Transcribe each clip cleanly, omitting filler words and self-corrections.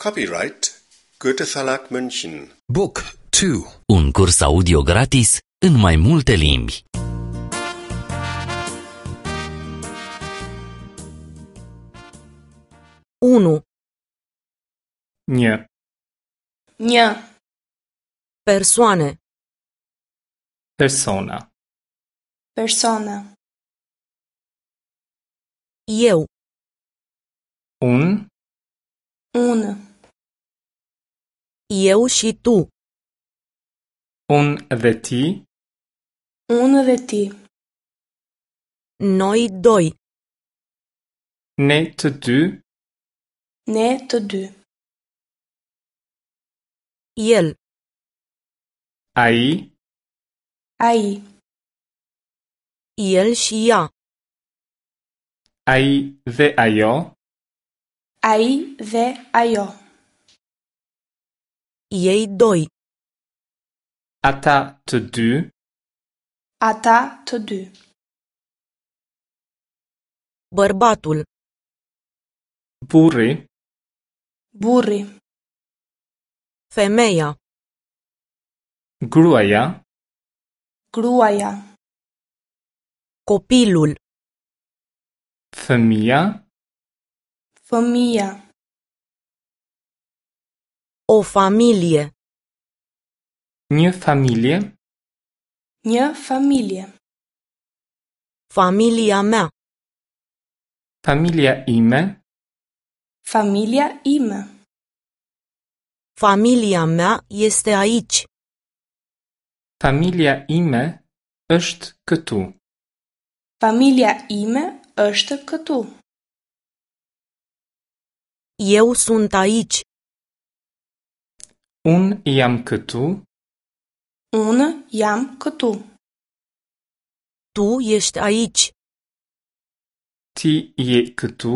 Copyright Goethe Verlag München. Book 2. Un curs audio gratis în mai multe limbi. Unu, Një. Një. Persoane. Persona. Persona. Eu, Unë, Unë. eu și tu, unë dhe ti, Unë dhe ti. noi doi, ne të dy, Ne të dy. el, ai, Ai. el și ea, ai dhe ajo, Ai dhe ajo. ei doi, ata të dy, Ata të dy. bărbatul, burri, Burri. femeia, gruaja, Gruaja. copilul, fëmija, Fëmija. o familie, një familje, Një familje. familia mea, familja ime, Familja ime. familia mea este aici, familja ime është këtu. Familja ime është këtu. eu sunt aici, Unë jam këtu, Unë jam këtu. tu ești aici, ti je këtu,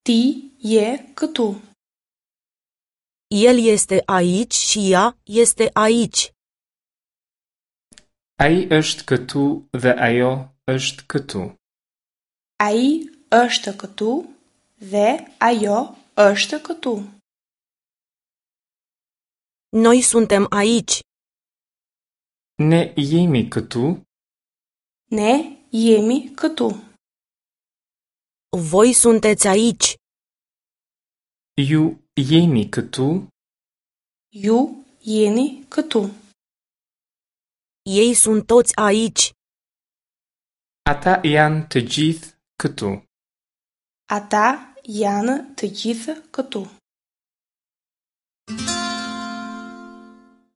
Ti je këtu. el este aici și ea este aici, ai është këtu dhe ajo është këtu. Ai është këtu dhe ajo është këtu. noi suntem aici, Ne jemi këtu, Ne jemi këtu. voi sunteți aici, ju jeni këtu, Ju jeni këtu. ei sunt toți aici, ata janë të gjithë këtu. Ata janë të gjithë këtu.